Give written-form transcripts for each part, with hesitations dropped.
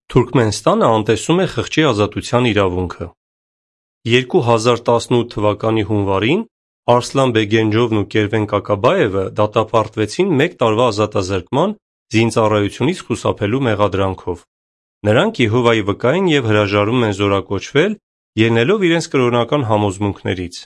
Թուրքմենստանը անտեսում է խղճի ազատության իրավունքը։ 2018 թվականի հունվարին Արսլան Բեգենջովն ու Կերվեն Կակաբաևը դատապարտվեցին 1 տարվա ազատազրկման զինծառայությունից խուսափելու մեղադրանքով։ Նրանք Եհովայի վկա են և հրաժարվում են զորակոչվել, ելնելով իրենց կրոնական համոզմունքներից։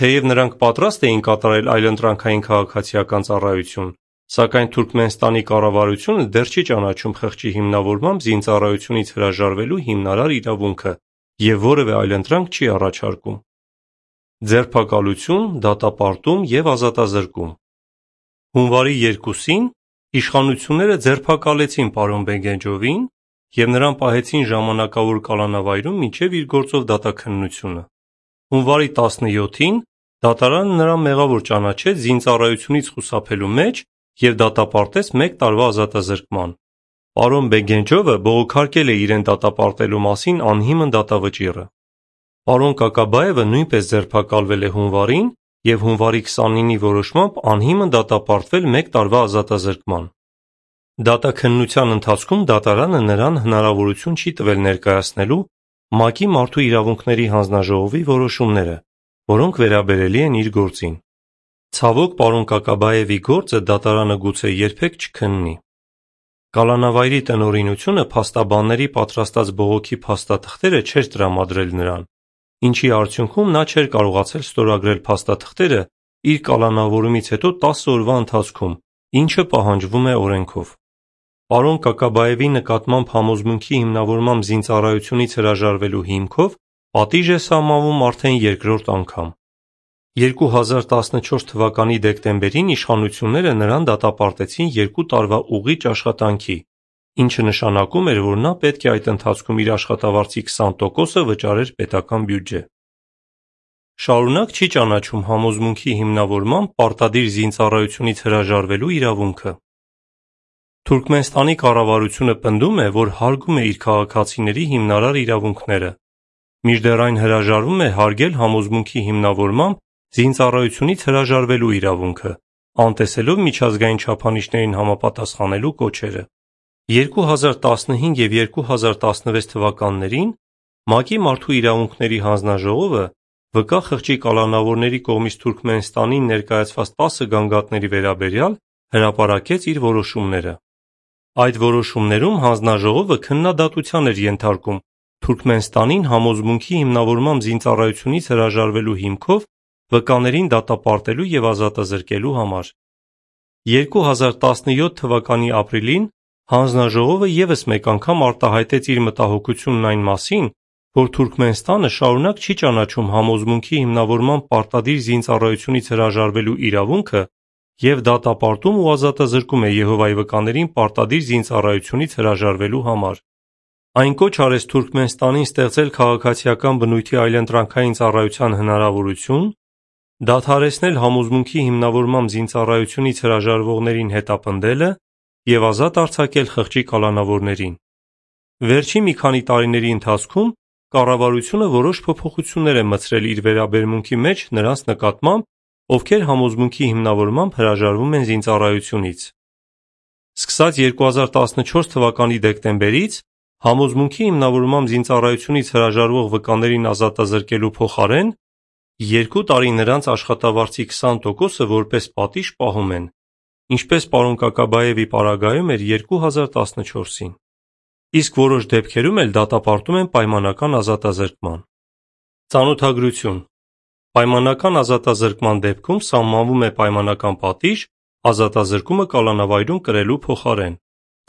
Թեև նրանք պատրաստ էին կատարել այլընտրանքային քաղաքացիական ծառայություն, սակայն Թուրքմենստանի կառավարությունը դեռ չի ճանաչում խղճի հիմնավորմամբ զինծառայությունից հրաժարվելու հիմնարար իրավունքը և որևէ այլընտրանք չի առաջարկում։ Ձերբակալություն, դատապարտում և ազատազրկում։ Հունվարի 2-ին իշխանությունները ձերբակալեցին պարոն Բեգենջովին և նրան պահեցին ժամանակավոր կալանավայրում մինչև իր գործով դատաքննությունը։ Հունվարի 17-ին դատարանը նրան մեղավոր ճանաչեց զինծառայությունից խուսափելու մեջ և դատապարտեց 1 տարվա ազատազրկման։ Պարոն Բեգենջովը բողոքարկել է իրեն դատապարտելու մասին անհիմն դատավճիռը։ Պարոն Կակաբաևը նույնպես ձերբակալվել է հունվարին և հունվարի 29-ի որոշմամբ անհիմն դատապարտվել 1 տարվա ազատազրկման։ Դատաքննության ընթացքում դատարանը նրան հնարավորություն չի տվել ներկայացնելու ՄԱԿ-ի Մարդու իրավունքների հանձնաժողովի որոշումները, որոնք վերաբերելի են իր գործին։ Ցավոք, պարոն Կակաբաևի գործը դատարանը գուցե երբեք չքննի։ Կալանավայրի տնօրինությունը փաստաբանների պատրաստած բողոքի փաստաթղթերը չէր տրամադրել նրան, ինչի արդյունքում նա չէր կարողացել ստորագրել փաստաթղթերը իր կալանավորումից հետո 10 օրվա ընթացքում, ինչը պահանջվում է օրենքով։ Պարոն Կակաբաևի նկատմամբ համոզմունքի հիմնավորմամբ զինծառայությունից հրաժարվելու հիմքով պատիժ է սահմանվում արդեն երկրորդ անգամ։ 2014 թվականի դեկտեմբերին իշխանությունները նրան դատապարտեցին 2 տարվա ուղիճ աշխատանքի, ինչը նշանակում էր, որ նա պետք է այդ ընթացքում իր աշխատավարձի 20%-ը վճարեր պետական բյուջե։ Շարունակ չի ճանաչում համոզմունքի հիմնավորմամբ պարտադիր զինծառայությունից հրաժարվելու իրավունքը։ Թուրքմենստանի կառավարությունը պնդում է, որ հարգում է իր քաղաքացիների հիմնարար իրավունքները, մինչդեռ այն հրաժարվում է հարգել համոզմունքի հիմնավորմամբ զինծառայությունից հրաժարվելու իրավունքը, անտեսելով միջազգային չափանիշներին համապատասխանելու կոչերը։ 2015 և 2016 թվականներին ՄԱԿ-ի Մարդու իրավունքների հանձնաժողովը վկա խղճի կալանավորների կողմից Թուրքմենստանին ներկայացված 10 գանգատների վերաբերյալ հրապարակեց իր որոշումները։ Այդ որոշումներում հանձնաժողովը քննադատության էր ենթարկում Թուրքմենստանին համոզմունքի հիմնավորմամբ զինծառայությունից հրաժարվելու հիմքով վկաներին դատապարտելու և ազատազրկելու համար։ 2017 թվականի ապրիլին հանձնաժողովը ևս մեկ անգամ արտահայտեց իր մտահոգությունն այն մասին, որ Թուրքմենստանը շարունակ չի ճանաչում համոզմունքի հիմնավորմամբ պարտադիր զինծառայությունից հրաժարվելու իրավունքը և դատապարտում ու ազատազրկում է Եհովայի վկաներին պարտադիր զինծառայությունից հրաժարվելու համար։ Այն կոչ արեց Թուրքմենստանին ստեղծել քաղաքացիական բնույթի այլընտրանքային ծառայության հնարավորություն, դադարեցնել համոզմունքի հիմնավորմամբ զինծառայությունից հրաժարվողներին հետապնդելը և ազատ արձակել խղճի կալանավորներին։ Վերջին մի քանի տարիների ընթացքում կառավարությունը որոշ փոփոխություններ է մտցրել իր վերաբերմունքի մեջ նրանց նկատմամբ, ովքեր համոզմունքի հիմնավորմամբ հրաժարվում են զինծառայությունից։ Սկսած 2014 թվականի դեկտեմբերից համոզմունքի հիմնավորմամբ զինծառայությունից հրաժարվող վկաներին ազատազրկելու փոխարեն 2 տարի նրանց աշխատավարձի 20%-ը որպես պատիժ պահում են, ինչպես պարոն Կակաբաևի պարագայում էր 2014-ին։ Իսկ որոշ դեպքերում էլ դատապարտում են պայմանական ազատազրկման։ Ծանոթագրություն։ Պայմանական ազատազրկման դեպքում սահմանվում է պայմանական պատիժ ազատազրկումը կալանավայրում կրելու փոխարեն։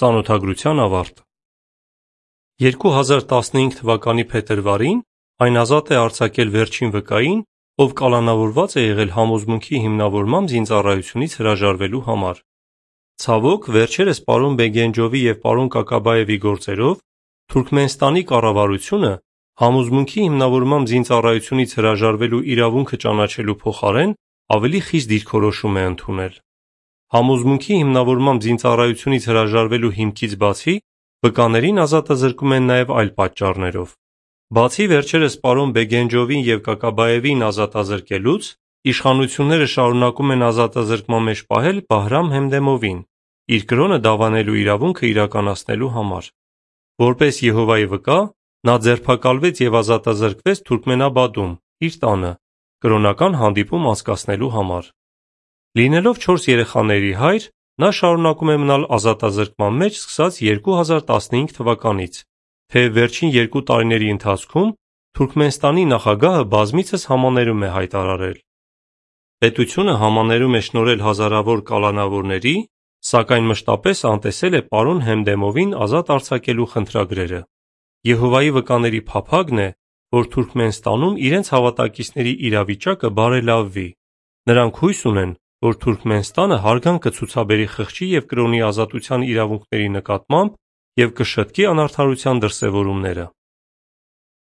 Ծանոթագրության ավարտ։ 2015 թվականի փետրվարին այն ազատ է արձակել վերջին վկային, ով կալանավորված է եղել համոզմունքի հիմնավորմամբ զինծառայությունից հրաժարվելու համար։ Ցավոք, վերջերս պարոն Բեգենջովի և պարոն Կակաբաևի գործերով Թուրքմենստանի կառավարությունը համոզմունքի հիմնավորմամբ զինծառայությունից հրաժարվելու իրավունքը ճանաչելու փոխարեն ավելի խիստ դիրքորոշում է ընդունել։ Համոզմունքի հիմնավորմամբ զինծառայությունից հրաժարվելու հիմքից բացի, վկաներին ազատազրկում են նաև այլ պատճառներով։ Բացի վերջերս պարոն Բեգենջովին և Կակաբաևին ազատազրկելուց, իշխանությունները շարունակում են ազատազրկման մեջ պահել Բահրամ Հեմդեմովին՝ իր կրոնը դավանելու իրավունքը իրականացնելու համար։ Որպես Եհովայի վկա, նա ձերբակալվեց և ազատազրկվեց Թուրքմենաբադում, իր տանը, կրոնական հանդիպում անցկացնելու համար։ Լինելով 4 երեխաների հայր, նա շարունակում է մնալ ազատազրկման մեջ սկսած 2015 թվականից, թեև վերջին 2 տարիների ընթացքում Թուրքմենստանի նախագահը բազմիցս համաներում է հայտարարել։ Պետությունը համաներում է շնորհել հազարավոր կալանավորների, սակայն մշտապես անտեսել է պարոն Հեմդեմովին ազատ արձակելու խնդրագրերը։ Եհովայի վկաների փափագն է, որ Թուրքմենստանում իրենց հավատակիցների իրավիճակը բարելավվի։ Նրանք հույս ունեն, որ Թուրքմենստանը հարգանք կցուցաբերի խղճի և կրոնի ազատության իրավունքների նկատմամբ և կշտկի անարդարության դրսևորումները։